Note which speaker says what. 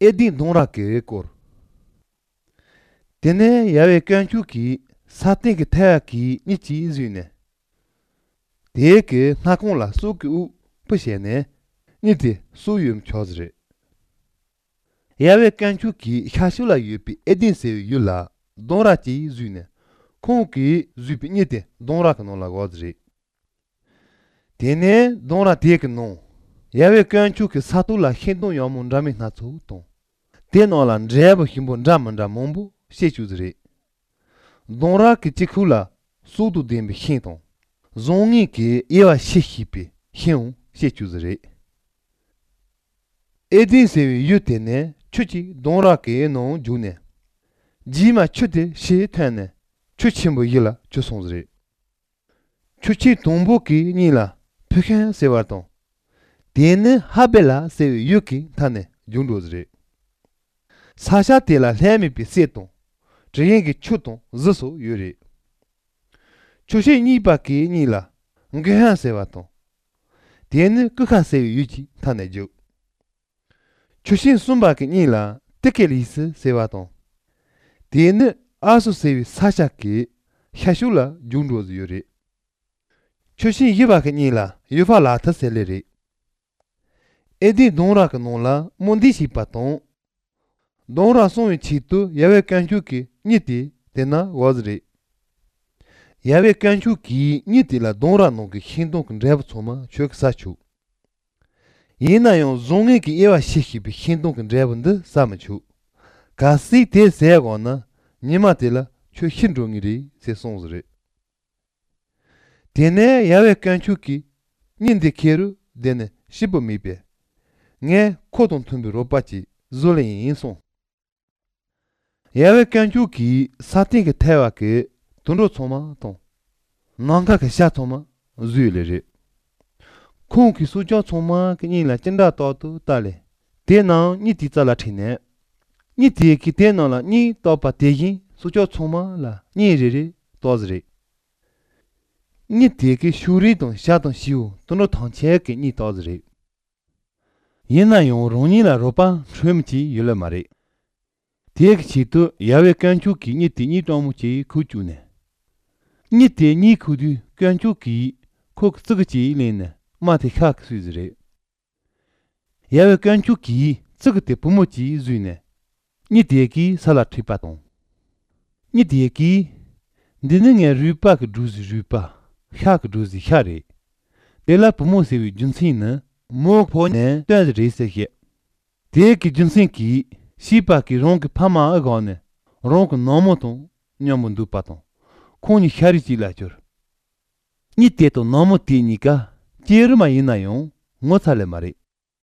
Speaker 1: 에디 동라케 코 데네 야베 깐추키 사테게 타야키 니치 즈네 데게 나콘라 소쿠 푸셰네 니티 소유음 초즈레 야베 깐추키 샤슐라 유피 에딘세 율라 동라치 즈네 콩키 즈피 니티 동라카노라 고즈레 데네 동라 데케노 야베 깐추키 사투라 힌동 요몬라미 나초토 데노란 제브 힘본 자만자 몽부 셰추즈레 동라 키치쿨라 소두 뎀비 힌동 종이 키 예와 시히피 힌 셰추즈레 에딘세 유테네 추치 동라 케노 주네 지마 추데 시테네 추침부 일라 추송즈레 추치 동보키 니라 푸켄 세와동 데네 하벨라 세 유키 타네 jundo즈레 사샤 테라 레미피 세동 저행기 추동 즈소 유리 추시 니바키 니라 응게한 세와동 데네 크카세 유지 타네죠 추신 숨바키 니라 테켈리스 세와동 데네 아수세위 사샤키 샤슐라 jundo즈 유리 추신 이바키 니라 유파라타 셀레리 에디 동라카 논라 몬디시 파톤 동라 송이 치투 야베 칸추키 니티 데나 와즈리 야베 칸추키 니티라 동라 노기 힌동 랩 소마 추크사추 이나요 종이기 예와 시히비 힌동 랩은데 사마추 가시 테 세고나 니마텔라 추 힌종이리 세송즈리 데네 야베 칸추키 닌데 케루 데네 시보미베 네 코동 tumbi 로바치 졸레인 인송 야베 칸추키 사팅게 태와케 돈로 소마 돈 난가케 샤토마 즈유레레 콩키 수조 소마 그니라 찐다 또또 달레 데나 니티자라 티네 니티키 데나라 니 또파 데긴 수조 소마라 니레레 도즈레 니티키 슈리돈 샤돈 시우 돈로 탕체케 니 도즈레 예나용 롱니라 로파 트림치 율레마리 디엑치도 야베 칸추키 니티니 도무치 쿠추네 니티니 쿠두 칸추키 콕스그치 레네 마티카크 수즈레 야베 칸추키 츠그테 부모치 즈네 니티에키 살라트리파톤 니티에키 디능에 루파크 두즈 루파 샤크 두즈 샤레 데라 부모세위 준시네 모포네 데즈리세게 데키 준신키 시바키 롱키 파마 아고네 롱크 노모톤 냐문두 파톤 코니 샤리지라죠 니테토 노모티니까 제르마 이나용 모살레 마리